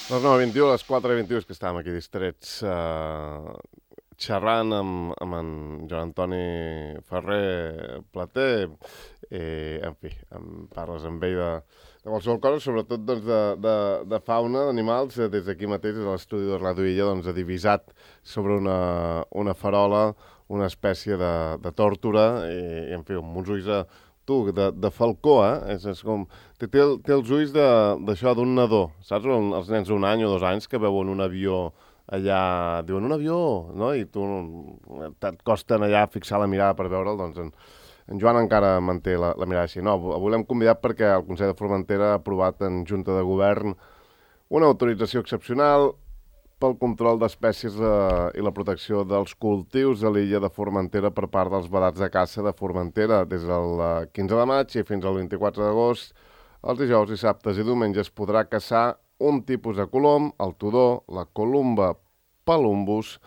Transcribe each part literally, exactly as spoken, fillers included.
Les nou i vint-i-u, a les quatre i vint-i-u, és que estàvem aquí distrets eh, xerrant amb, amb en Joan Antoni Ferrer Plater, i, en fi, em parles amb ell de, de qualsevol cosa, sobretot doncs, de, de, de fauna, d'animals, eh, des d'aquí mateix, des de l'estudi de Ràdio Illa, doncs, ha divisat sobre una, una farola, una espècie de, de tòrtora, i, i en fi, amb uns ulls de, tu, de, de falcó, eh? És, és com... Té, té, el- té els ulls de- d'això, d'un nadó, saps? Un- Els nens d'un any o dos anys que veuen un avió allà, diuen un avió, no? I tu et costen allà fixar la mirada per veure'l, doncs en, en Joan encara manté la, la mirada així. No, avui l'hem convidat perquè el Consell de Formentera ha aprovat en Junta de Govern una autorització excepcional pel control d'espècies eh, i la protecció dels cultius a l'illa de Formentera per part dels vedats de caça de Formentera des del eh, quinze de maig i fins al vint-i-quatre d'agost. Els dijous, dissabtes i diumenges podrà caçar un tipus de colom, el tudó, la columba palumbus,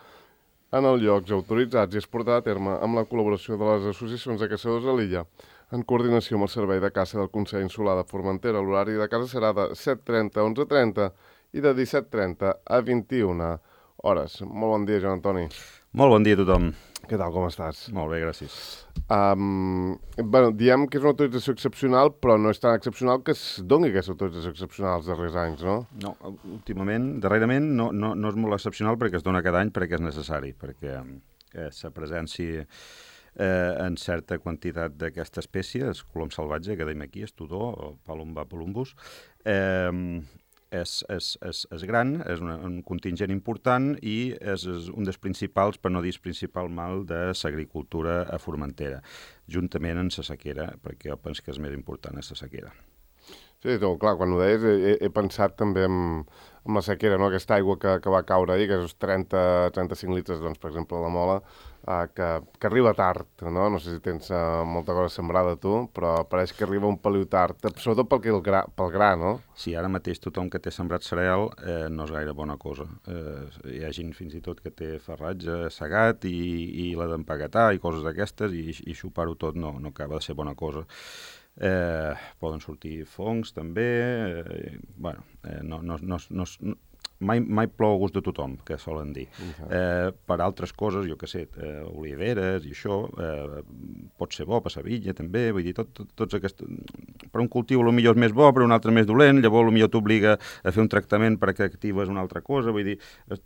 en els llocs autoritzats i es portarà a terme amb la col·laboració de les associacions de caçadors a l'illa, en coordinació amb el Servei de Caça del Consell Insular de Formentera. L'horari de caça serà de set trenta a onze trenta i de disset trenta a vint-i-una hores. Molt bon dia, Joan Antoni. Molt bon dia a tothom. Què tal, com estàs? Molt bé, gràcies. Um, bueno, diem que és una autorització excepcional, però no és tan excepcional que es doni aquesta autorització excepcional els darrers anys, no? No, últimament, darrerament, no, no, no és molt excepcional perquè es dona cada any perquè és necessari, perquè eh, la presència eh, en certa quantitat d'aquesta espècie, el colom salvatge, que dèiem aquí, el tudó, o Palumba palumbus, eh, és, és, és, és gran, és una, un contingent important i és, és un dels principals, per no dir el principal mal, de l'agricultura a Formentera, juntament amb la sequera, perquè jo penso que és més important és la sequera. Sí, no, clar, quan ho deies he, he pensat també en, en la sequera, no? Aquesta aigua que, que va caure ahir, que és trenta a trenta-cinc litres, doncs, per exemple, a la Mola, eh, que, que arriba tard, no? No sé si tens eh, molta cosa sembrada tu, però pareix que arriba un peliu tard, sobretot pel, que el gra, pel gra, no? Sí, ara mateix tothom que té sembrat cereal eh, no és gaire bona cosa. Eh, hi ha gent fins i tot que té farratge segat i, i l'ha d'empaquetar i coses d'aquestes i, i xupar-ho tot no, no acaba de ser bona cosa. Eh, poden sortir fongs també, eh, bueno, eh, no, no, no, no, no, mai, mai plou a gust de tothom, que solen dir. Uh-huh. Eh, per altres coses, jo què sé, eh, oliveres i això, eh, pot ser bo per la vinya també, vull dir, tot, tot, tots aquests... Per un cultiu potser és més bo, per un altre més dolent, llavors potser t'obliga a fer un tractament perquè actives una altra cosa, vull dir,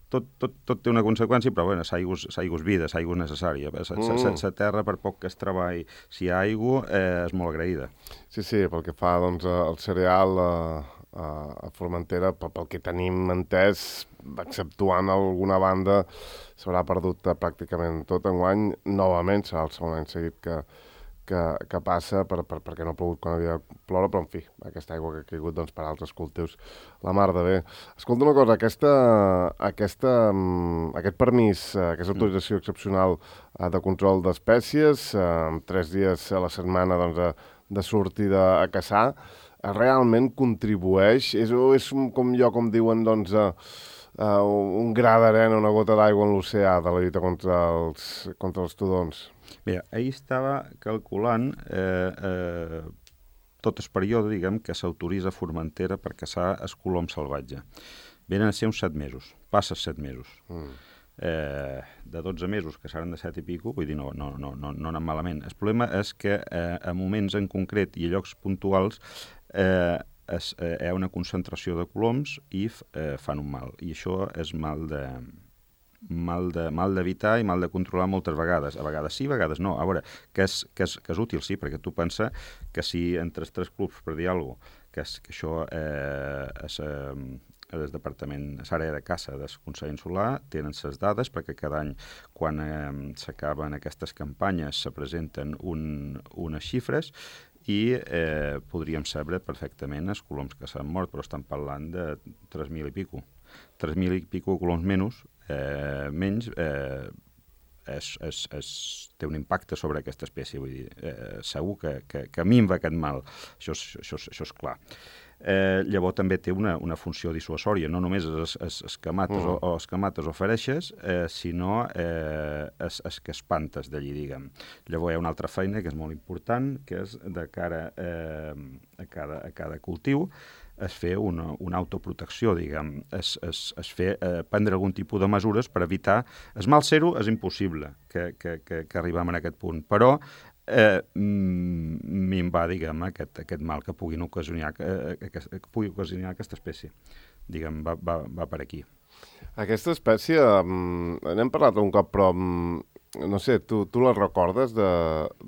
tot, tot, tot té una conseqüència, però bueno, l'aigua és vida, l'aigua és necessària. La mm. terra, per poc que es treballi, si hi ha aigua, eh, és molt agraïda. Sí, sí, pel que fa doncs, al cereal eh, a Formentera, pel, pel que tenim entès, exceptuant alguna banda, s'haurà perdut eh, pràcticament tot enguany. Novament serà el segon any seguit que, que, que passa per, per, perquè no ha plogut quan havia de ploure, però en fi, aquesta aigua que ha caigut doncs, per altres cultius, la mar de bé. Escolta una cosa, aquesta, aquesta, aquest permís, aquesta autorització excepcional de control d'espècies, amb tres dies a la setmana doncs, de sortida a caçar, realment contribueix, és, és com jo, com diuen, doncs, uh, uh, un gra d'arena, una gota d'aigua en l'oceà de la lluita contra els, contra els tudons. Bé, ahir estava calculant eh, eh, tot el període, diguem, que s'autoritza a Formentera per caçar el colom salvatge. Venen a ser uns set mesos, passa set mesos. Mm. Eh, de dotze mesos, que seran de set i pico, vull dir, no, no, no, no, no anem malament. El problema és que eh, a moments en concret i a llocs puntuals eh, es, eh, hi ha una concentració de coloms i eh, fan un mal. I això és mal de mal de mal d'evitar i mal de controlar moltes vegades. A vegades sí, a vegades no. A veure, que és, que és, que és útil, sí, perquè tu pensa que si entre els tres clubs, per dir alguna cosa, que, és, que això eh, és... Eh, el departament, l'àrea de caça del Consell Insular, tenen les dades perquè cada any, quan eh, s'acaben aquestes campanyes, se presenten un, unes xifres i eh, podríem saber perfectament els coloms que s'han mort, però estan parlant de tres mil i pico. tres mil i pico coloms menys, eh, menys eh, és, és, és, té un impacte sobre aquesta espècie. Vull dir, eh, segur que, que, que minva aquest mal. Això, això, això és clar. Eh, llavors també té una, una funció dissuasòria, no només es, es, es camates mm. o, o es camates o fereixes, eh, sinó eh, es, es que espantes d'allí, diguem. Llavors hi ha una altra feina que és molt important, que és de cara eh, a, cada, a cada cultiu, es fer una, una autoprotecció, diguem, es, es, es fer, eh, prendre algun tipus de mesures per evitar... Es mal ser-ho és impossible que, que, que, que arribem a aquest punt, però eh, minvar, diguem, aquest, aquest mal que puguin ocasionar, eh, que, que pugui ocasionar aquesta espècie. Diguem, va, va, va per aquí. Aquesta espècie, um, n'hem parlat un cop, però um, no sé, tu, tu la recordes de,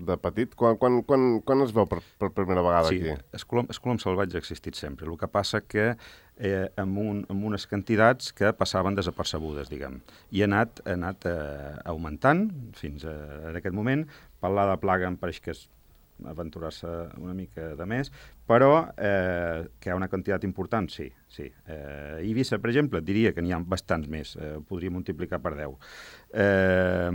de petit? Quan, quan, quan, quan es veu per, per primera vegada sí, aquí? Sí, el colom, el colom salvatge ha existit sempre. El que passa que eh, amb, un, amb unes quantitats que passaven desapercebudes, diguem. I ha anat, ha anat eh, augmentant fins a, en aquest moment. Parlar de plaga em pareix que és aventurar-se una mica de més, però eh, que hi ha una quantitat important, sí. sí. Eh, Eivissa, per exemple, diria que n'hi ha bastants més, eh, podria multiplicar per deu, eh,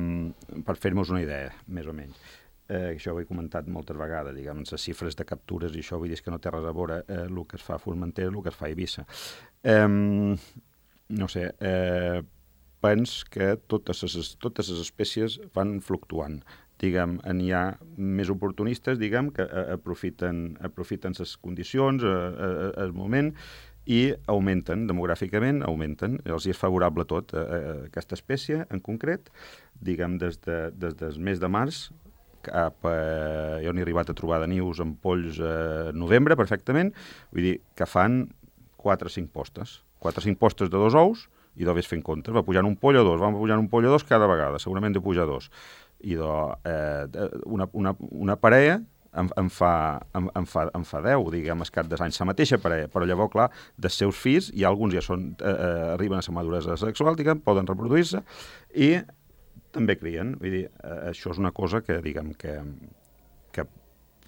per fer-nos una idea, més o menys. Eh, això ho he comentat moltes vegades, diguem, les xifres de captures i això, vull dir que no té res a veure eh, el que es fa a Formentera, el que es fa a Eivissa. Eh, no sé, eh, pens que totes les, totes les espècies van fluctuant. Diguem, n'hi ha més oportunistes, diguem, que aprofiten, aprofiten les condicions, el moment, i augmenten, demogràficament, augmenten. Els és favorable tot, a, a aquesta espècie en concret, diguem, des, de, des del mes de març, cap a, jo n'he arribat a trobar de nius amb polls a novembre, perfectament, vull dir que fan quatre o cinc postes. quatre o cinc postes de dos ous, i de ves fent comptes, va pujant un poll o dos, va pujant un poll o dos cada vegada, segurament de pujar dos. I de, eh, una, una, una parella em, em, fa, em, em, fa, em fa deu, diguem, escat de anys, la mateixa parella, però llavors, clar, dels seus fills, i alguns ja són, eh, arriben a la maduresa sexual, diguem, poden reproduir-se, i també crien. Vull dir, eh, això és una cosa que, diguem, que, que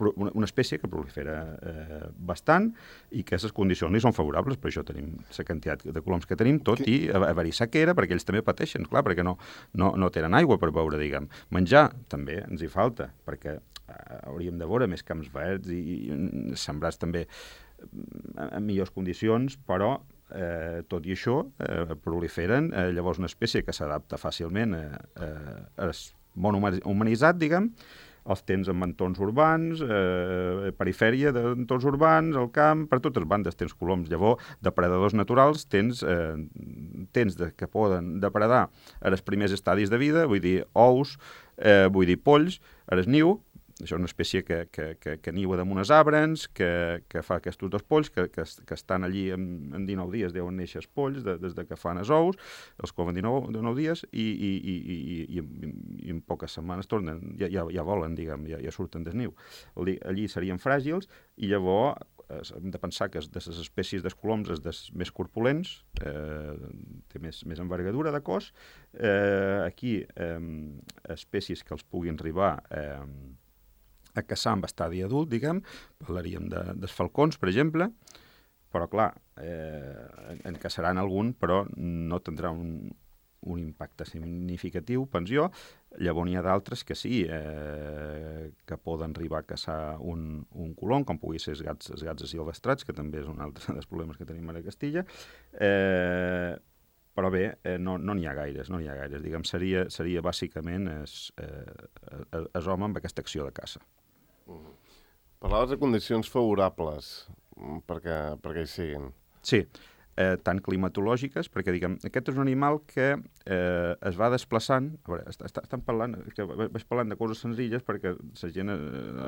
una, una espècie que prolifera eh, bastant i que les condicions li són favorables, per això tenim la quantitat de coloms que tenim, tot i haver-hi sequera, perquè ells també pateixen, clar, perquè no, no, no tenen aigua per beure, diguem. Menjar també ens hi falta, perquè eh, hauríem de veure més camps verds i, i sembrats també en millors condicions, però eh, tot i això eh, proliferen, eh, llavors una espècie que s'adapta fàcilment eh, eh, és món humanitzat, diguem, els tens en entorns urbans, eh, perifèria d'entorns urbans, al camp, per totes bandes tens coloms. Llavors, depredadors naturals tens, eh, tens de, que poden depredar a els primers estadis de vida, vull dir ous, eh, vull dir polls, a el niu. Això és una espècie que, que, que, que niua damunt els arbres, que, que fa aquests dos polls, que, que, que estan allí en, en dinou dies, deuen néixer els polls, de, des de que fan els ous, els coven dinou, dinou dies, i, i, i, i, i, i en poques setmanes tornen, ja, ja, ja volen, diguem, ja, ja surten del niu. Allí, allí serien fràgils, i llavors hem de pensar que de les espècies d'escoloms és dels més corpulents, eh, té més, més envergadura de cos. Eh, aquí, eh, espècies que els puguin arribar eh, a caçar amb estadi adult, diguem, parlaríem de, dels falcons, per exemple, però, clar, eh, en caçaran algun, però no tindrà un, un impacte significatiu, penso jo. Llavors n'hi ha d'altres que sí, eh, que poden arribar a caçar un, un colom, com pugui ser els gats, els gats silvestrats, que també és un altre dels problemes que tenim a la Castilla, eh, però bé, eh, no n'hi no ha gaires, no n'hi ha gaires. Diguem, seria, seria bàsicament es, eh, es home amb aquesta acció de caça. Mm. Parlaves de condicions favorables perquè, perquè hi siguin. Sí, eh, tant climatològiques, perquè diguem, aquest és un animal que eh, es va desplaçant, a veure, est estan parlant, que vaig parlant de coses senzilles perquè la gent, eh,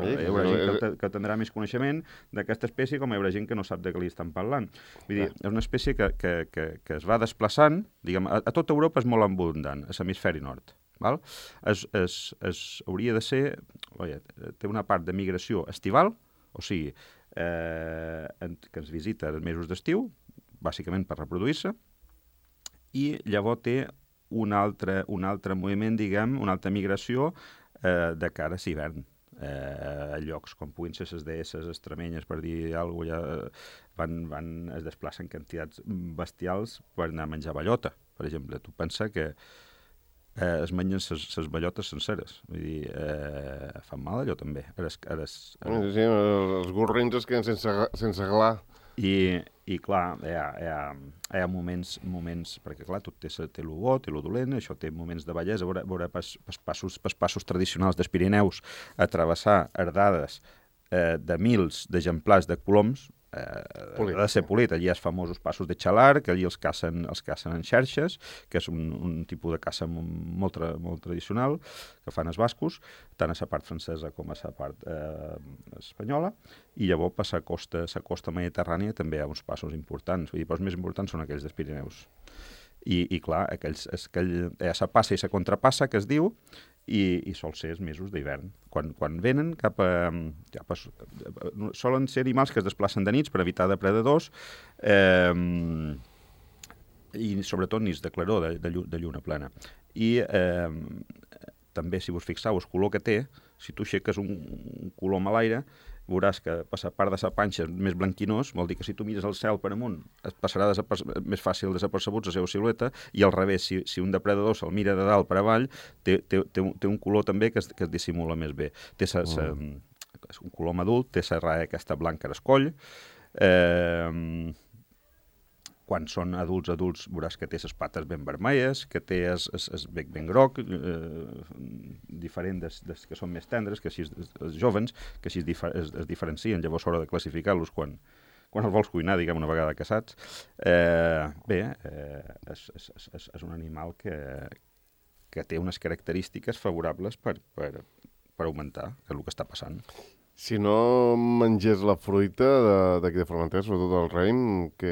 sí, hi haurà gent que, que tindrà més coneixement d'aquesta espècie, com hi haurà gent que no sap de què li estan parlant. Vull dir, és una espècie que, que, que, que es va desplaçant, diguem, a, a tota Europa és molt abundant, a l'hemisferi nord. Val? Es, es, es hauria de ser, oia, té una part de migració estival, o sigui, eh, en, que ens visita els mesos d'estiu, bàsicament per reproduir-se, i llavors té un altre, un altre moviment, diguem, una altra migració eh, de cara a l'hivern. Eh, a llocs com puguin ser les deesses extremenyes, per dir alguna cosa, ja van, van, es desplacen quantitats bestials per anar a menjar bellota, per exemple. Tu pensa que eh, es mengen les bellotes senceres. Vull dir, eh, fan mal allò també. Eres, eres, eres... Sí, els gorrins es queden sense, sense glar. I, i clar, hi ha, hi ha, hi ha moments, moments, perquè clar, tot té, té el bo, té el dolent, això té moments de bellesa, veure, veure pas, pas passos, pas passos tradicionals dels Pirineus, a travessar herdades eh, de mils d'exemplars de coloms, eh, Polit, ha de ser sí. polit. Allí hi ha els famosos passos de xalar, que allí els cacen, els cacen en xerxes, que és un, un tipus de caça molt, tra molt tradicional, que fan els bascos, tant a la part francesa com a la part eh, espanyola, i llavors per la costa, la costa mediterrània també hi ha uns passos importants, vull dir, però els més importants són aquells dels Pirineus. I, i clar, aquells, aquell, hi ha la passa i la contrapassa, que es diu, i, i sol ser els mesos d'hivern. Quan, quan venen cap a, cap a... Solen ser animals que es desplacen de nits per evitar depredadors, eh, i sobretot nits de claror, de, de, llu, de lluna plena. I eh, també, si vos fixeu, el color que té, si tu aixeques un, un colom a l'aire, veuràs que per la part de la panxa és més blanquinós, vol dir que si tu mires el cel per amunt et passarà més fàcil desapercebut la seva silueta, i al revés, si, si un depredador se'l mira de dalt per avall, té, té, té, un, té un color també que es, que es dissimula més bé. Té sa, sa, mm. un colom adult, té la raia aquesta blanca d'escoll, eh, quan són adults, adults, veuràs que té les pates ben vermelles, que té el, el, el bec ben groc, eh, diferent des, des que són més tendres, que així els jovens, que així es, difer, es, es diferencien, llavors s'haurà de classificar-los quan, quan els vols cuinar, diguem, una vegada caçats. Eh, bé, eh, és, és, és, és un animal que, que té unes característiques favorables per, per, per augmentar, que és el que està passant. Si no mengés la fruita d'aquí de, de Formentera, sobretot el raïm, que,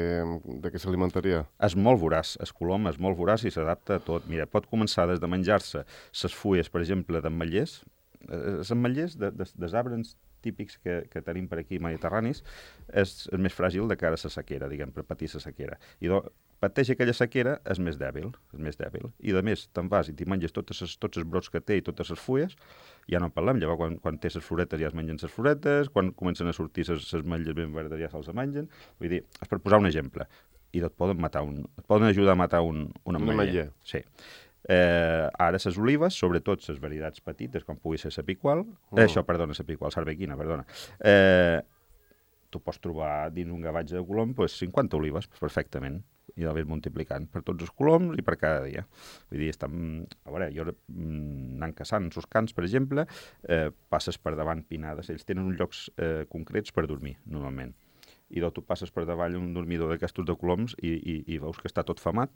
de què s'alimentaria? És molt voraç, el colom és molt voraç i s'adapta a tot. Mira, pot començar des de menjar-se les fulles, per exemple, d'ametllers. Els ametllers de, de, dels arbres típics que, que tenim per aquí mediterranis és, és més fràgil de cara a la sequera, diguem, per patir la sequera. I do, pateix aquella sequera, és més dèbil, és més dèbil. I a més, te'n vas i t'hi menges totes ses, tots els brots que té i totes les fulles, ja no en parlem, llavors quan, quan té les floretes ja es mengen les floretes, quan comencen a sortir les ametlles ben verdes ja se'ls mengen. Vull dir, és per posar un exemple. I et poden matar un, et poden ajudar a matar un, un ametller. Sí. Eh, ara les olives, sobretot les varietats petites, com pugui ser la picual, mm. eh, això, perdona, la picual, sarbequina, perdona, eh, tu pots trobar dins un gavatge de colom pues, cinquanta olives perfectament, i d'haver multiplicant per tots els coloms i per cada dia. Vull dir, estan... A veure, jo anant caçant en els camps, per exemple, eh, passes per davant pinades. Ells tenen uns llocs eh, concrets per dormir, normalment. I doncs tu passes per davall un dormidor d'aquestos de coloms i, i, i veus que està tot famat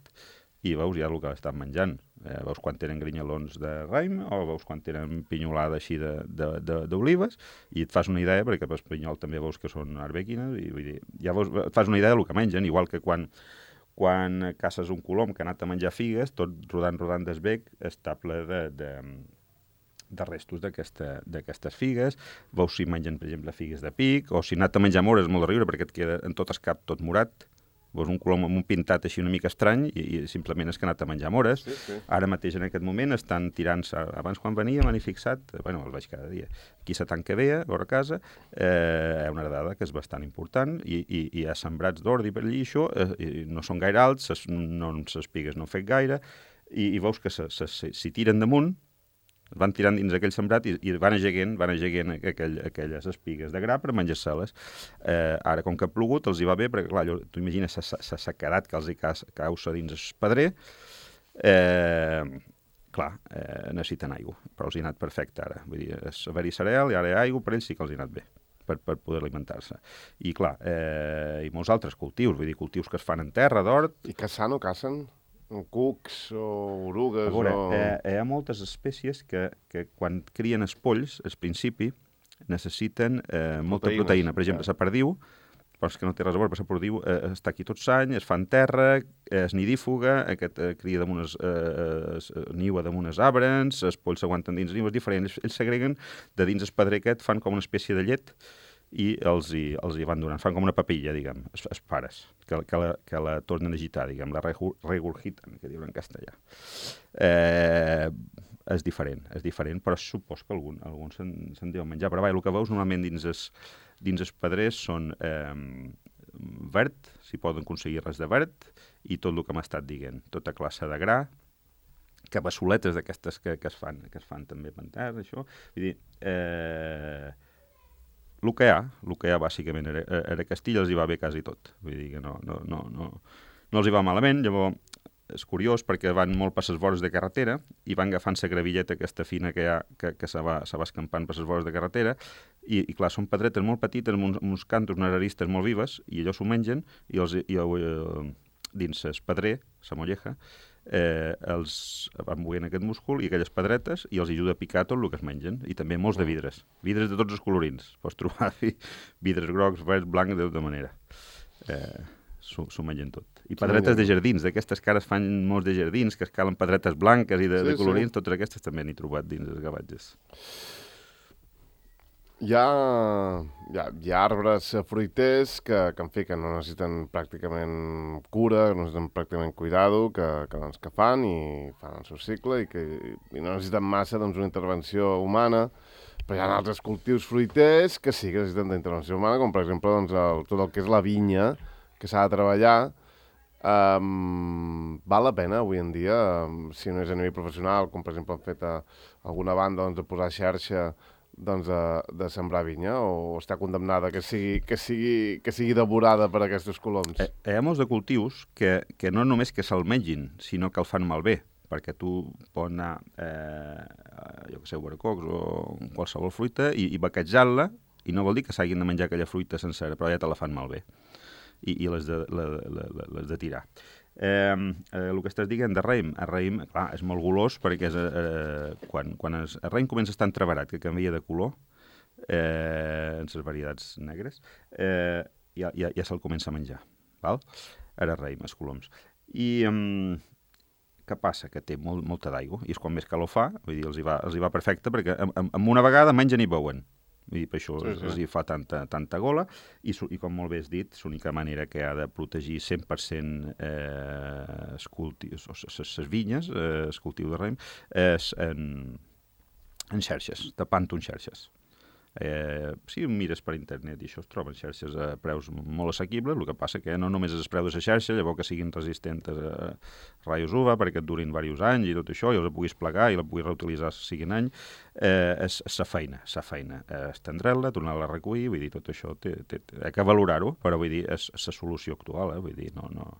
i veus ja el que estan menjant. Eh, veus quan tenen grinyalons de raïm o veus quan tenen pinyolada així d'olives i et fas una idea, perquè per pinyol també veus que són arbequines i vull dir, ja veus, et fas una idea del que mengen, igual que quan quan caces un colom que ha anat a menjar figues, tot rodant, rodant des bec, està ple de, de, de restos d'aquestes figues. Veus si mengen, per exemple, figues de pic, o si ha anat a menjar mores, és molt de riure, perquè et queda en tot el cap tot morat. Veus un colom amb un pintat així una mica estrany i, i simplement és que ha anat a menjar mores. Sí, sí. Ara mateix, en aquest moment, estan tirant-se... Abans, quan venia, m'han fixat... Bueno, el veig cada dia. Aquí la tanca veia, vora casa, eh, una herdada que és bastant important i, i, i hi ha sembrats d'ordi per allí, això, eh, no són gaire alts, ses, no, ses pigues no han fet gaire, i, i veus que se, se, se, si tiren damunt, van tirant dins aquell sembrat i, i van ageguent, van ageguent aquell, aquelles espigues de gra per menjar-se-les. Eh, ara, com que ha plogut, els hi va bé, perquè, clar, tu imagines la sequedat que els hi causa dins el pedrer. Eh, clar, eh, necessiten aigua, però els hi ha anat perfecte ara. Vull dir, és haver-hi cereal i ara hi ha aigua, per ells sí que els hi ha anat bé per, per poder alimentar-se. I, clar, eh, i molts altres cultius, vull dir, cultius que es fan en terra, d'hort. I caçant o cacen? Cucs o orugues? A veure, o... eh, hi ha moltes espècies que, que quan crien els polls, al principi, necessiten eh, molta Proteïnes, proteïna. Per exemple, ja. la perdiu, però és que no té res a veure, però la perdiu eh, està aquí tot l'any, es fa en terra, eh, és nidífuga, aquest eh, cria damunt es, eh, es, niua damunt els arbres, els polls s'aguanten dins nius, és diferent. Ells, ells s'agreguen de dins el pedrer aquest, fan com una espècie de llet, i els hi, els hi van donant, fan com una papilla, diguem, els, els pares, que, que, la, que la tornen a agitar, diguem, la regurgitan, que diuen en castellà. Eh, és diferent, és diferent, però supos que algun, alguns se'n se deuen menjar. Però vaja, el que veus normalment dins els, dins els pedrers són eh, verd, si poden aconseguir res de verd, i tot el que m'ha estat dient, tota classe de gra, cabassoletes d'aquestes que, que, es fan, que es fan també per terra, això. Vull dir, eh, el que hi ha, el que hi ha bàsicament era, era Castilla, els hi va bé quasi tot. Vull dir que no, no, no, no, no els hi va malament. Llavors, és curiós perquè van molt per les vores de carretera i van agafant la gravilleta aquesta fina que hi ha, que, que se, va, se va escampant per les vores de carretera i, i clar, són pedretes molt petites, amb uns, amb uns cantos, unes aristes molt vives, i allò s'ho mengen, i, els, i eh, dins el pedrer, la molleja, eh, els van buient aquest múscul i aquelles pedretes i els ajuda a picar tot el que es mengen. I també molts de vidres. Vidres de tots els colorins. Pots trobar vidres grocs, verds, blancs, de tota manera. Eh, s'ho mengen tot. I pedretes de jardins, d'aquestes cares fan molts de jardins, que es calen pedretes blanques i de, sí, de colorins, sí. Totes aquestes també n'he trobat dins els gavatges. Hi ha, hi ha, hi ha arbres fruiters que, que, en fi, que no necessiten pràcticament cura, no necessiten pràcticament cuidado, que, que, doncs, que fan i fan el seu cicle i que i no necessiten massa doncs, una intervenció humana, però hi ha altres cultius fruiters que sí que necessiten d'intervenció humana, com per exemple doncs, el, tot el que és la vinya, que s'ha de treballar. Um, val la pena avui en dia, um, si no és a nivell professional, com per exemple han fet a alguna banda doncs, de posar xarxa doncs, de, de sembrar vinya, o està condemnada que sigui, que sigui, que sigui devorada per aquests coloms? Eh, hi ha molts de cultius que, que no només que se'l mengin, sinó que el fan malbé, perquè tu pots anar, eh, jo que sé, barcocs o qualsevol fruita i, i baquejar-la, i no vol dir que s'hagin de menjar aquella fruita sencera, però ja te la fan malbé, i, i les, de, la, la, la, les de tirar. Eh, eh, el que estàs dient de raïm, el raïm, clar, és molt golós perquè és, eh, quan, quan es, el raïm comença a estar entreverat, que canvia de color, eh, en les varietats negres, eh, ja, ja, ja se'l comença a menjar, val? Ara raïm, els coloms. I eh, què passa? Que té molt, molta d'aigua, i és quan més calor fa, vull dir, els hi va, els hi va perfecte, perquè amb, amb una vegada mengen i beuen. I per això sí, sí. els hi fa tanta, tanta gola i, i com molt bé has dit, l'única manera que ha de protegir cent per cent eh, els cultius, les vinyes, eh, el cultiu de raïm, és en, en xarxes, tapant-ho en xarxes. Eh, si mires per internet i això es troben xarxes a preus molt assequibles, el que passa que no només és el preu de la xarxa, llavors que siguin resistents a raios U V A perquè et durin diversos anys i tot això, i els puguis plegar i la puguis reutilitzar si siguin any, eh, és sa feina, sa feina. Eh, estendre-la, tornar-la a recollir, vull dir, tot això té, té, té, hay que valorar-ho, però vull dir, és la solució actual, eh? Vull dir, no n'hi no,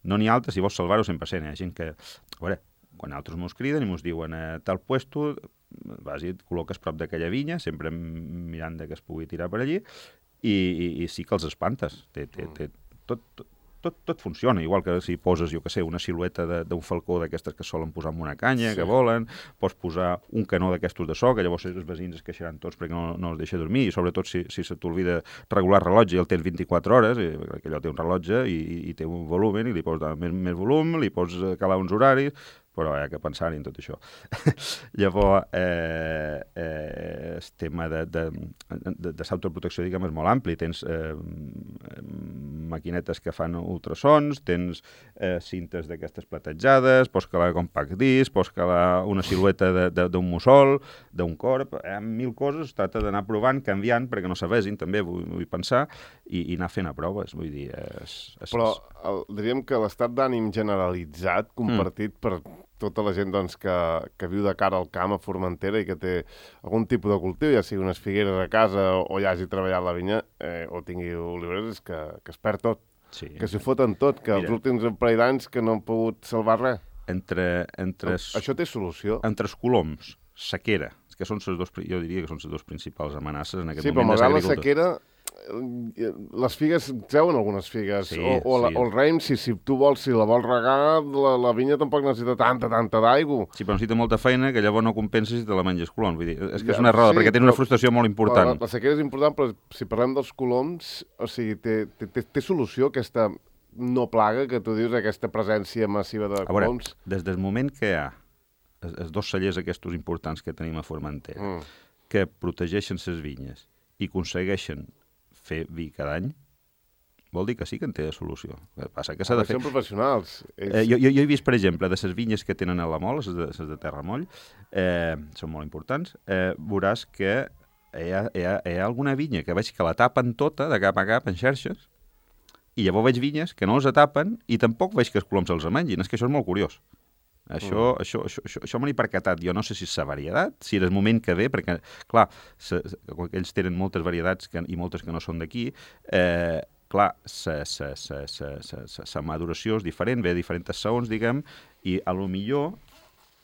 no ha altres, si vols salvar-ho cent per cent, hi ha gent que, a veure, quan altres mos criden i mos diuen a tal puesto, vas i et col·loques prop d'aquella vinya, sempre mirant que es pugui tirar per allí, i, i, i sí que els espantes. Té, té, té, tot, tot, tot funciona, igual que si poses, jo que sé, una silueta d'un falcó d'aquestes que solen posar en una canya, sí. que volen, pots posar un canó d'aquestos de so, que llavors els veïns es queixaran tots perquè no, no els deixa dormir, i sobretot si, si se t'olvida regular el rellotge i el tens vint-i-quatre hores, i, perquè allò té un rellotge i, i té un volum, i li pots dar més, més volum, li pots calar uns horaris, però hi ha que pensar en tot això. Llavors, eh, eh, el tema de, de, de, de l'autoprotecció, diguem, és molt ampli. Tens eh, maquinetes que fan ultrasons, tens eh, cintes d'aquestes platejades, pots calar compact disc, pots calar una silueta d'un mussol, d'un corp, hi ha mil coses, es tracta d'anar provant, canviant, perquè no s'avesin, també vull, vull pensar, i, i anar fent a proves, vull dir... És, és, però el, diríem que l'estat d'ànim generalitzat, compartit mm. per tota la gent doncs, que, que viu de cara al camp a Formentera i que té algun tipus de cultiu, ja sigui unes figueres a casa o ja hagi treballat la vinya eh, o tingui oliveres, és que, que es perd tot, sí. que s'hi foten tot, que Mira, els últims parell d'anys que no han pogut salvar res. Entre, entre es, Això té solució? Entre els coloms, sequera, que són les dos, jo diria que són les dues principals amenaces en aquest sí, moment de l'agricultura. Sí, però malgrat la sequera, les figues, treuen algunes figues, sí, o, o, sí. la, o el raïm, si, si tu vols, si la vols regar, la, la vinya tampoc necessita tanta, tanta d'aigua. Sí, però necessita molta feina que llavors no compensa si te la menges colom. Vull dir, és que ja, és una errada, sí, perquè tens una frustració molt important. La, la sequera és important, però si parlem dels coloms, o sigui, té, té, té, té solució aquesta no plaga que tu dius, aquesta presència massiva de coloms? A veure, des del moment que hi ha els dos cellers aquests importants que tenim a Formentera, mm. que protegeixen les vinyes i aconsegueixen fer vi cada any, vol dir que sí que en té solució. El que passa que s'ha de fer... Són professionals. És... Eh, jo, jo, jo he vist, per exemple, de les vinyes que tenen a la Mol, les de, les de terra moll, eh, són molt importants, eh, veuràs que hi ha, hi, ha, hi ha alguna vinya que veig que la tapen tota, de cap a cap, en xarxes, i llavors veig vinyes que no els tapen i tampoc veig que els coloms els mengin. És que això és molt curiós. Això, mm. això, això, això, això me n'he percatat. Jo no sé si és la varietat, si és el moment que ve, perquè, clar, se, se, ells tenen moltes varietats que, i moltes que no són d'aquí, eh, clar, la maduració és diferent, ve a diferents saons, diguem, i a lo millor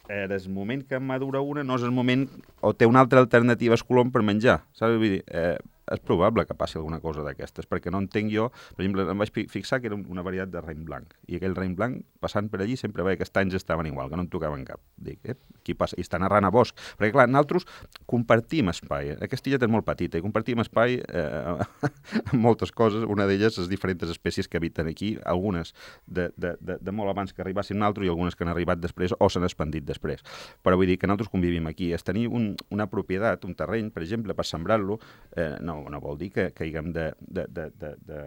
eh, des moment que madura una no és el moment, o té una altra alternativa al colom per menjar, saps? Vull dir, eh, és probable que passi alguna cosa d'aquestes, perquè no entenc jo, per exemple, em vaig fixar que era una varietat de raïm blanc, i aquell raïm blanc, passant per allí, sempre veia que els tanys estaven igual, que no en tocaven cap. Dic, eh, qui passa? I estan arran a bosc. Perquè, clar, nosaltres compartim espai. Aquesta illet és molt petita, i compartim espai eh, amb moltes coses, una d'elles les diferents espècies que habiten aquí, algunes de, de, de, de molt abans que arribassin nosaltres i algunes que han arribat després o s'han expandit després. Però vull dir que nosaltres convivim aquí. És tenir un, una propietat, un terreny, per exemple, per sembrar-lo, eh, no, no vol dir que, que haguem de, de, de, de, de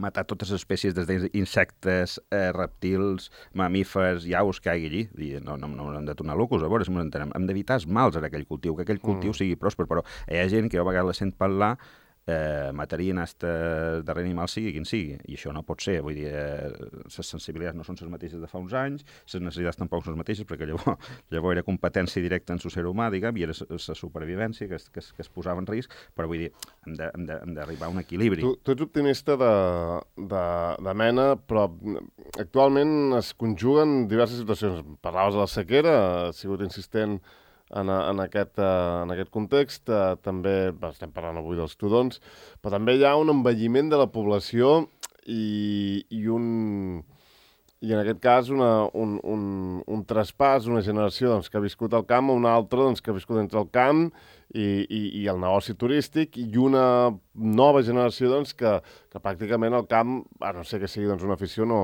matar totes les espècies, des d'insectes, eh, reptils, mamífers, aus que hi hagi allí. I no, no, no hem de tornar locos, a veure si ens entenem. Hem d'evitar els mals en aquell cultiu, que aquell cultiu mm. sigui pròsper, però hi ha gent que jo a vegades la sent parlar eh, matarien este darrer animal sigui quin sigui, i això no pot ser, vull dir, eh, les sensibilitats no són les mateixes de fa uns anys, les necessitats tampoc són les mateixes, perquè llavors, llavors era competència directa en el ser humà, diguem, i era la supervivència que es, que, es, que es posava en risc, però vull dir, hem d'arribar a un equilibri. Tu, tu ets optimista de, de, de mena, però actualment es conjuguen diverses situacions. Parlaves de la sequera, ha sigut insistent En, en, aquest, uh, en aquest context, uh, també estem parlant avui dels tudons, però també hi ha un envelliment de la població i, i un i en aquest cas una, un, un, un traspàs, una generació doncs, que ha viscut al camp a una altra doncs, que ha viscut entre el camp i, i, i el negoci turístic, i una nova generació doncs, que, que pràcticament el camp, a no ser que sigui doncs, una afició, no,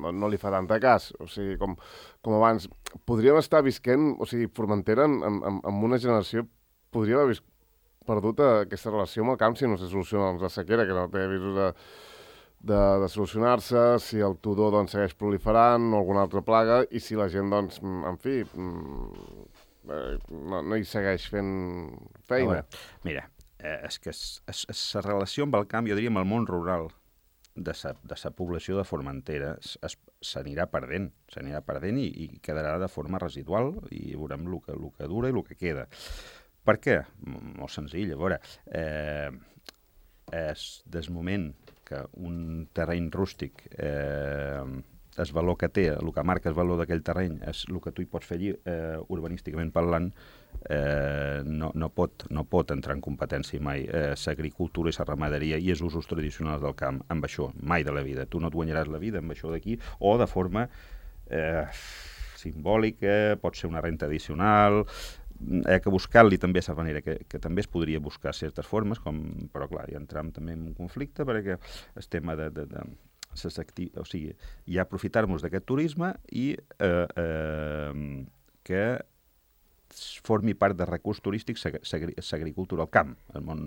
no, no li fa tanta cas. O sigui, com, com abans, podríem estar visquent, o sigui, Formentera, amb, amb, amb una generació, podria haver perdut aquesta relació amb el camp si no se soluciona doncs, la sequera, que no té avisos de, de, de solucionar-se, si el tudó doncs, segueix proliferant o alguna altra plaga, i si la gent, doncs, en fi, no, no hi segueix fent feina. Veure, mira, eh, és que la relació amb el camp, jo diria, amb el món rural de sa, de sa població de Formentera s'anirà perdent, s'anirà perdent i, i quedarà de forma residual i veurem el que, el que dura i el que queda. Per què? Molt senzill, a veure, eh, és des moment que un terreny rústic, eh, el valor que té, el que marca el valor d'aquell terreny, és el que tu hi pots fer allí, eh, urbanísticament parlant, eh, no, no, pot, no pot entrar en competència mai eh, l'agricultura i la ramaderia i els usos tradicionals del camp amb això, mai de la vida. Tu no et guanyaràs la vida amb això d'aquí, o de forma eh, simbòlica, pot ser una renta addicional, hi ha que buscar-li també de manera que, que també es podria buscar certes formes, com, però clar, hi entram també en un conflicte perquè el tema de, de, de ses acti... o sigui, ja aprofitar-nos d'aquest turisme i eh, eh, que formi part de recurs turístic l'agricultura al camp, el món,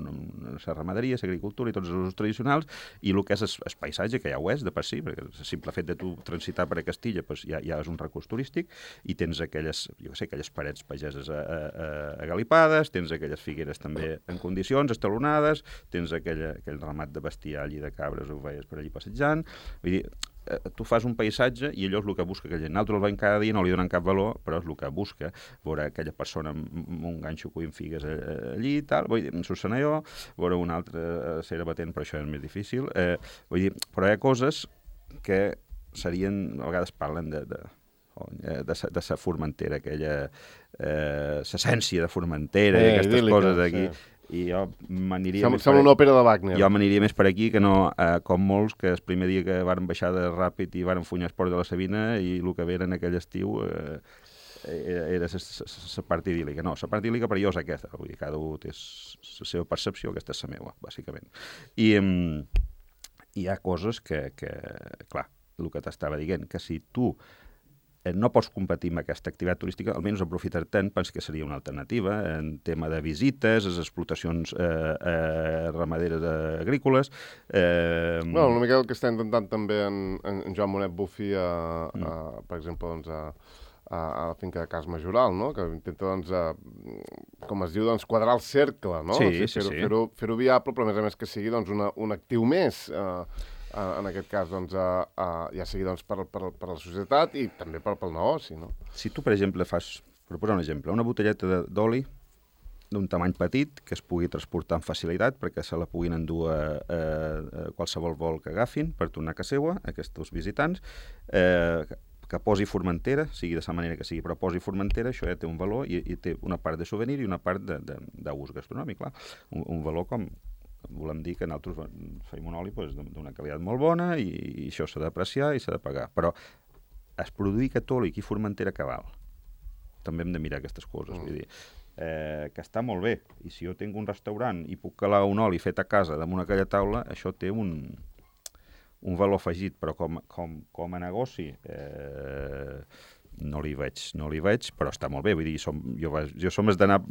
la ramaderia, l'agricultura i tots els usos tradicionals, i el que és el paisatge, que ja ho és de per si, perquè el simple fet de tu transitar per a Castilla pues, ja, ja és un recurs turístic, i tens aquelles, jo sé, aquelles parets pageses agalipades, tens aquelles figueres també en condicions, estalonades, tens aquella, aquell ramat de bestiar allí de cabres, ho veies per allí passejant, vull dir, tu fas un paisatge i allò és el que busca aquella gent. Nosaltres el veiem cada dia, no li donen cap valor, però és el que busca, veure aquella persona amb un ganxo cuint figues allí i tal, vull dir, en Sussanaió, veure una altra cera batent, però això és més difícil. Eh, vull dir, però hi ha coses que serien, a vegades parlen de, de, de, sa, de sa Formentera, aquella eh, l'essència de Formentera, eh, i aquestes idílica, coses d'aquí. Sí. I jo m'aniria més Sembla una òpera de Wagner. Jo m'aniria més per aquí que no, eh, com molts, que el primer dia que varen baixar de Ràpid i varen funyar el port de la Sabina i el que veren aquell estiu eh, era la part idíl·lica. No, la part idíl·lica per jo és aquesta. Vull dir, cada un té la seva percepció, aquesta és la meva, bàsicament. I eh, hi ha coses que, que, clar, el que t'estava dient, que si tu no pots competir amb aquesta activitat turística, almenys aprofitar-te'n, penso que seria una alternativa en tema de visites, les explotacions eh, eh, ramaderes eh, agrícoles. Eh... Bueno, una mica el que està intentant també en, en Joan Monet Bufi, a, mm. a, per exemple, doncs, a, a, a la finca de Cas Majoral, no? Que intenta, doncs, a, com es diu, doncs, quadrar el cercle, no? Sí, o sigui, sí, fer-ho sí. fer-ho fer-ho viable, però a més a més que sigui doncs, una, un actiu més. Eh, en aquest cas, doncs, uh, uh, ja sigui doncs, per, per, per la societat i també per, pel negoci, no? Si tu, per exemple, fas, per posar un exemple, una botelleta d'oli d'un tamany petit que es pugui transportar amb facilitat perquè se la puguin endur a, a, a qualsevol vol que agafin per tornar a casa seva, aquests visitants, eh, que posi Formentera, sigui de la manera que sigui, però posi Formentera, això ja té un valor i, i té una part de souvenir i una part d'ús gastronòmic, clar. Un, un valor com, volem dir que nosaltres feim un oli pues, d'una qualitat molt bona i, i això s'ha d'apreciar i s'ha de pagar. Però es produir catòlic i Formentera que val. També hem de mirar aquestes coses. Mm. Vull dir, eh, que està molt bé. I si jo tinc un restaurant i puc calar un oli fet a casa damunt aquella taula, això té un... un valor afegit, però com, com, com a negoci eh, no li veig, no li veig, però està molt bé, vull dir, som, jo, jo som has d'anar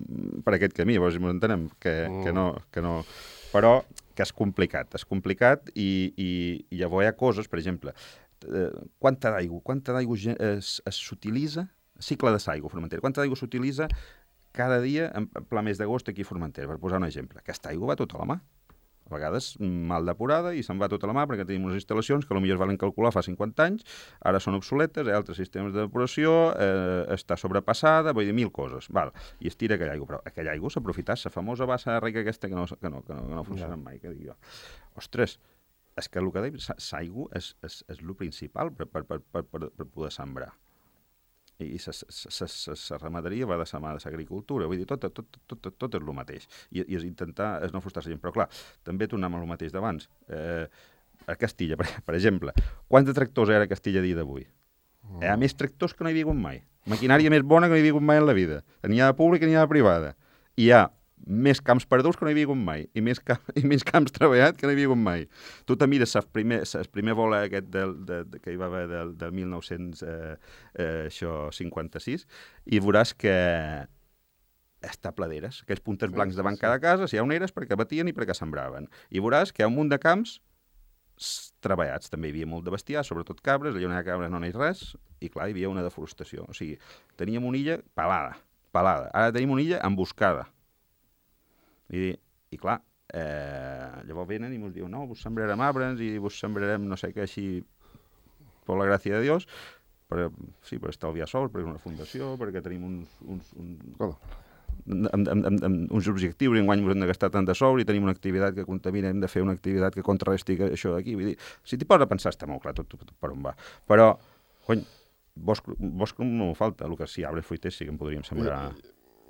per aquest camí, llavors ens entenem que, mm. que, no, que no... Però que és complicat, és complicat i, i, i llavors hi ha coses, per exemple, eh, quanta d'aigua, quanta d'aigua s'utilitza, cicle de l'aigua Formentera, quanta d'aigua s'utilitza cada dia en pla mes d'agost aquí a Formentera, per posar un exemple. Aquesta aigua va tota la mà. A vegades mal depurada i se'n va tota la mà perquè tenim unes instal·lacions que potser es valen calcular fa cinquanta anys, ara són obsoletes, hi ha altres sistemes de depuració, eh, està sobrepassada, vull dir, mil coses. Val. I es tira aquella aigua, però aquella aigua s'ha aprofitat, la famosa bassa de rega aquesta que no, que no, que no, que no funciona mai, que dic jo. Ostres, és que el que deia, l'aigua és, és, és el principal per, per, per, per, per poder sembrar. I la ramaderia va de la mà de l'agricultura, vull dir, tot, tot, tot, tot, tot és el mateix. I, i és intentar és no frustrar la gent. Però clar, també tornem al mateix d'abans. Eh, a Castilla, per, per exemple, quants de tractors hi ha a Castilla a dia d'avui? Mm. Hi ha més tractors que no hi havia hagut mai. Maquinària més bona que no hi havia hagut mai en la vida. N'hi ha de pública i n'hi ha de privada. I hi ha més camps perduts que no hi havia hagut mai, i més, camp, i més camps treballats que no hi havia hagut mai. Tu te mires el primer, el primer vol aquest del, de, de, que hi va haver del, del mil nou-cents cinquanta-sis i veuràs que està pladeres, aquells punters blancs davant cada casa, si hi ha oneres perquè batien i perquè sembraven. I veuràs que hi ha un munt de camps treballats. També hi havia molt de bestiar, sobretot cabres, allà on hi ha cabres no hi ha res, i clar, hi havia una deforestació. O sigui, teníem una illa pelada, pelada. Ara tenim una illa emboscada. I, i clar, eh, llavors venen i ens diuen no, vos sembrarem arbres i vos sembrarem no sé què així per la gràcia de Dios, per, sí, per estalviar sols, perquè és una fundació, perquè tenim uns, uns, uns, oh. amb, amb, amb, amb uns objectius i enguany hem de gastar tant de sous i tenim una activitat que contamina, hem de fer una activitat que contrarresti això d'aquí. Vull dir, si t'hi poses a pensar està molt clar tot, tot, tot per on va. Però, cony, bosc, bosc no falta, el que sí, arbres fruiters sí que en podríem sembrar...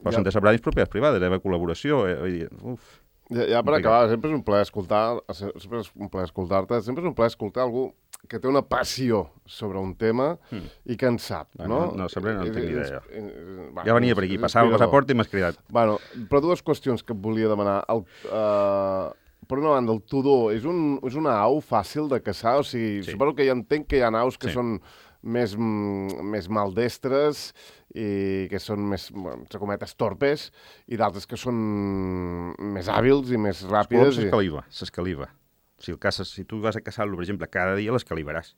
Però ja. Són de separar propietats privades, hi ha col·laboració, eh, vull dir, uf. Ja, ja per acabar, sempre és un plaer escoltar, sempre és un plaer escoltar-te, sempre és un plaer escoltar algú que té una passió sobre un tema mm. i que en sap, no? No, no sempre no en tinc idea. Va, ja venia per aquí, passava el passaport i m'has cridat. Bueno, però dues qüestions que et volia demanar. El, uh, per una banda, el tudó és, un, és una au fàcil de caçar? O sigui, sí. Suposo que ja entenc que hi ha aus que sí. són més, més maldestres i que són més, entre cometes, torpes, i d'altres que són més hàbils i més ràpides. S'escaliva, i... s'escaliva. Si, el caces, si tu vas a caçar-lo, per exemple, cada dia l'escalivaràs.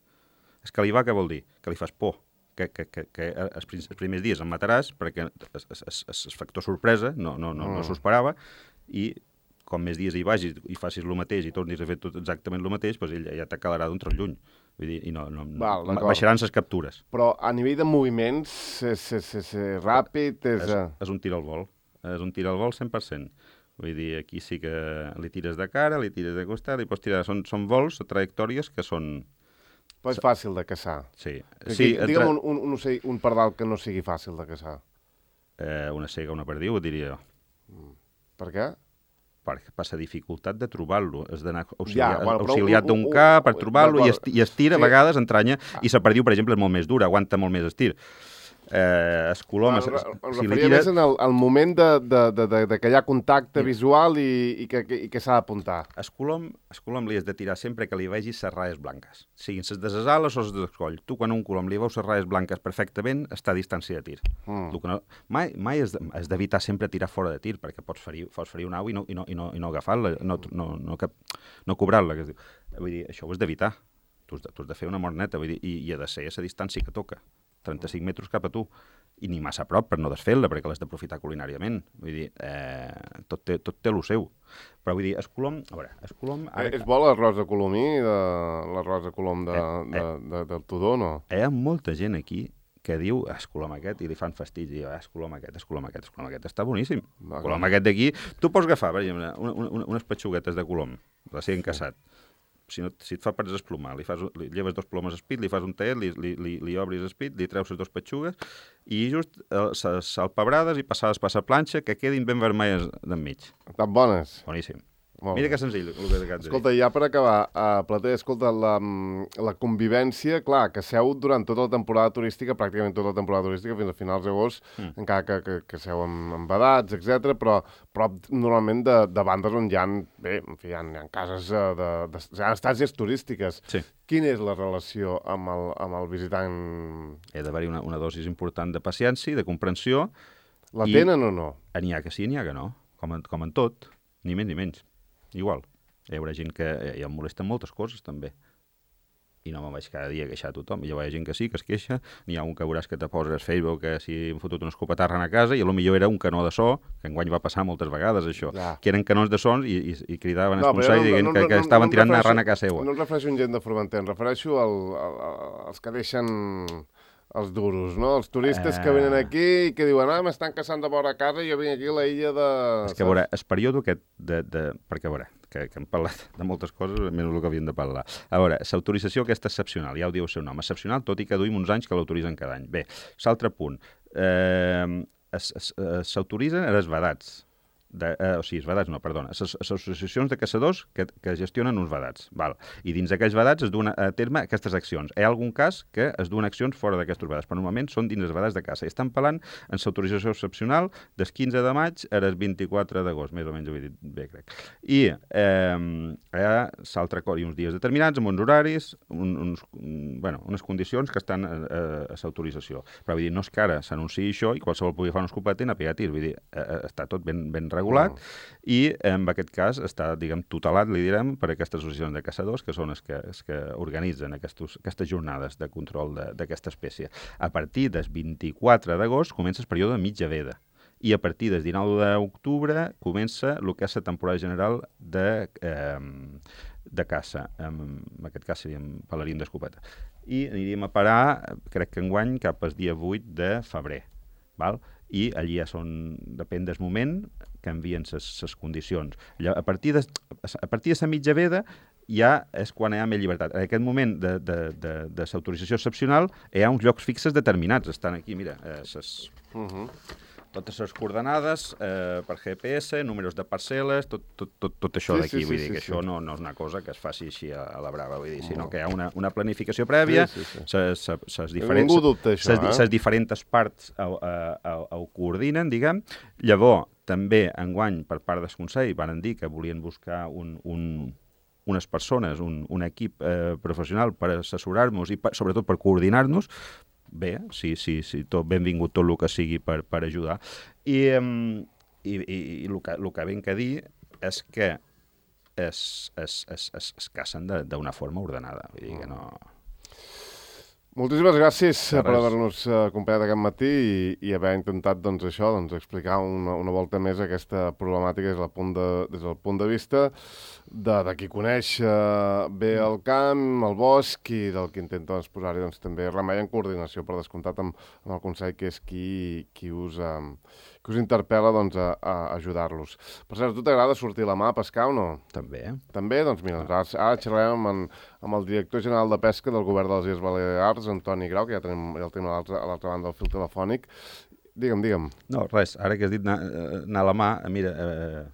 Escalivar què vol dir? Que li fas por. Que, que, que, que els, els primers dies el mataràs perquè és factor sorpresa, no, no, no, mm. no s'ho esperava, i com més dies hi vagis i facis el mateix i tornis a fer tot exactament el mateix, doncs ell ja t'acalarà d'un tros lluny. Vull dir, i no, no, Val, baixaran les captures. Però a nivell de moviments, és, és, és, és ràpid? És... És, és un tir al vol. És un tir al vol cent per cent. Vull dir, aquí sí que li tires de cara, li tires de costat, li pots tirar... Són, són vols, trajectòries que són... Però és fàcil de caçar. Sí. Que, sí digue'm tra... un, un, un, ocell, un pardal que no sigui fàcil de caçar. Eh, una cega, una perdiu, diria jo. Per què? Per, per la dificultat de trobar-lo. Has d'anar auxiliat, ja, bueno, auxiliat d'un cap per trobar-lo i, esti, i estir, a sí. vegades entranya, ah. i la perdiu, per exemple, és molt més dura, aguanta molt més estir. Eh, es coloma... Bueno, es, em si referia tires... més en el, el moment de, de, de, de, de que hi ha contacte sí. visual i, i que, que, que s'ha d'apuntar. Es colom, es colom li has de tirar sempre que li vegis les ratlles blanques. Siguin les de les ales o les de l'escoll. Tu, quan un colom li veus les ratlles blanques perfectament, està a distància de tir. Mm. No, mai mai has d'evitar sempre tirar fora de tir, perquè pots ferir, pots ferir una au i no, i no, i no, i no agafar-la, no, no, no, no, no cobrar-la. Vull dir, això ho has d'evitar. Tu has de, tu has de fer una mort neta, vull dir, i, i ha de ser a la distància que toca. trenta-cinc metres cap a tu, i ni massa a prop per no desfer-la, perquè l'has d'aprofitar culinàriament. Vull dir, eh, tot té, tot té el seu. Però vull dir, es colom... A veure, es colom... Ara... És bo l'arròs de colomí, de... l'arròs de colom de, eh, de, de, de, del Tudó, no? Hi ha molta gent aquí que diu, es colom aquest, i li fan fastig, i diu, es colom aquest, es colom aquest, es colom aquest, està boníssim. El colom aquest d'aquí, tu pots agafar, per exemple, una, una, unes petxuguetes de colom, recient caçat, si, no, si et fa per desplomar, li, fas, li lleves dos plomes espit, li fas un taet, li, li, li, li obris espit, li treus les dues petxugues i just eh, salpebrades i passades per la planxa que quedin ben vermelles d'enmig. Tan bones. Boníssim. Molt Mira bé. que senzill. El que acabes de dir. Escolta, ja per acabar, uh, Plater, escolta, la, la convivència, clar, que seu durant tota la temporada turística, pràcticament tota la temporada turística, fins a finals d'agost, mm. encara que, que, que seu amb, amb vedats, etcètera, però prop normalment de, de bandes on hi ha, bé, en fi, hi ha, hi ha cases de, de, de, hi ha estàcies turístiques. Sí. Quina és la relació amb el, amb el visitant? He d'haver-hi una, una dosis important de paciència i de comprensió. La i tenen o no? N'hi ha que sí, n'hi ha que no, com en, com en tot, ni més ni menys. Igual. Hi haurà gent que eh, em molesten moltes coses, també. I no me'n vaig cada dia a queixar a tothom. Hi haurà gent que sí, que es queixa. N'hi ha un que veuràs que te poses a Facebook que si hem fotut una escopetarra a casa i potser era un canó de so, que enguany va passar moltes vegades, això, ja. que eren canons de sons i, i, i cridaven no, esponsar no, i dient no, no, que, que no, estaven no tirant narrant a casa seva. No em refereixo a gent de Formentera, em refereixo al, al, als que deixen els duros, no? Els turistes eh... que venen aquí i que diuen, ah, m'estan caçant de vora a casa i jo vinc aquí a la illa de... És que, a veure, el període aquest de... de... perquè, a veure, que, que hem parlat de moltes coses, menys el que havíem de parlar. A veure, l'autorització aquesta excepcional, ja ho diu el seu nom, excepcional, tot i que duim uns anys que l'autoritzen cada any. Bé, l'altre punt, eh, s'autoritzen els vedats, de, eh, o sigui, els vedats no, perdona, les associacions de caçadors que, que gestionen uns vedats, val? I dins d'aquells vedats es duen a terme aquestes accions. Hi ha algun cas que es duen accions fora d'aquests vedats, però normalment són dins els vedats de caça. I estan parlant en l'autorització excepcional del quinze de maig al vint-i-quatre d'agost, més o menys ho he dit bé, crec. I eh, hi ha l'altre acord i uns dies determinats, amb uns horaris, un, uns, un, bueno, unes condicions que estan a, a, a l'autorització. Però vull dir, no és que ara s'anunciï això i qualsevol pugui fer una escopeta i anar a pegar tirs. Vull dir, eh, està tot ben, ben regulat. Regulat, mm. i en aquest cas està, diguem, tutelat, li direm, per aquestes associacions de caçadors, que són els que, els que organitzen aquestos, aquestes jornades de control d'aquesta espècie. A partir del vint-i-quatre d'agost comença el període de mitja veda, i a partir del dinou d'octubre comença el que és la temporada general de, eh, de caça. En aquest cas seríem pelerín d'escopeta. I aniríem a parar, crec que enguany, cap al dia vuit de febrer, val? I allí ja són, depèn del moment, canvien les condicions. A partir de, a partir de la mitja veda ja és quan hi ha més llibertat. En aquest moment de, de, de, de l'autorització excepcional hi ha uns llocs fixes determinats. Estan aquí, mira, eh, ses, uh -huh. totes les coordenades eh, per G P S, números de parcel·les, tot, tot, tot, tot això sí, d'aquí. Sí, vull sí, dir sí, que sí. Això no, no és una cosa que es faci així a, a la brava, vull dir, no. sinó que hi ha una, una planificació prèvia, sí, sí, sí. les diferents, eh? diferents parts ho, ho, ho coordinen, diguem. Llavors, també enguany, per part del Consell, van dir que volien buscar un... un unes persones, un, un equip eh, professional per assessorar-nos i per, sobretot per coordinar-nos. Bé, sí, sí, sí, tot benvingut tot el que sigui per, per ajudar. I, um, i, i, i el, que, el que ben que dir és que es, es, es, es, es cacen d'una forma ordenada. Vull dir que no... Moltíssimes gràcies per haver-nos acompanyat aquest matí i, i haver intentat doncs, això, doncs, explicar una, una volta més aquesta problemàtica des del punt de, des del punt de vista de, de qui coneix uh, bé el camp, el bosc i del que intenta doncs, posar-hi doncs, també remei en coordinació, per descomptat amb, amb el Consell, que és qui, qui, us, um, qui us interpel·la doncs, a, a ajudar-los. Per cert, a tu t'agrada sortir a la mà a pescar o no? També. També? Doncs mira, ara, ara xerrarem amb, en, amb el director general de Pesca del Govern de les Illes Balears, Antoni Grau, que ja, tenim, ja el tenim a l'altra banda del fil telefònic. Digue'm, digue'm. No, res, ara que has dit anar, anar a la mà, mira, eh,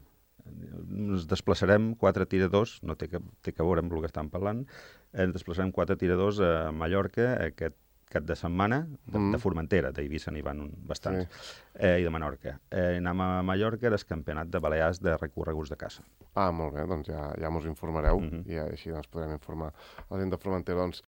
ens desplaçarem quatre tiradors, no té que, té que veure amb el que estan parlant, ens desplaçarem quatre tiradors a Mallorca aquest cap de setmana, de, mm. de Formentera, d'Eivissa n'hi van bastants, sí. eh, i de Menorca. Eh, anem a Mallorca al campionat de Balears de recorreguts de caça. Ah, molt bé, doncs ja, ja mos informareu, mm -hmm. i ja, així doncs podrem informar la gent de Formentera. Doncs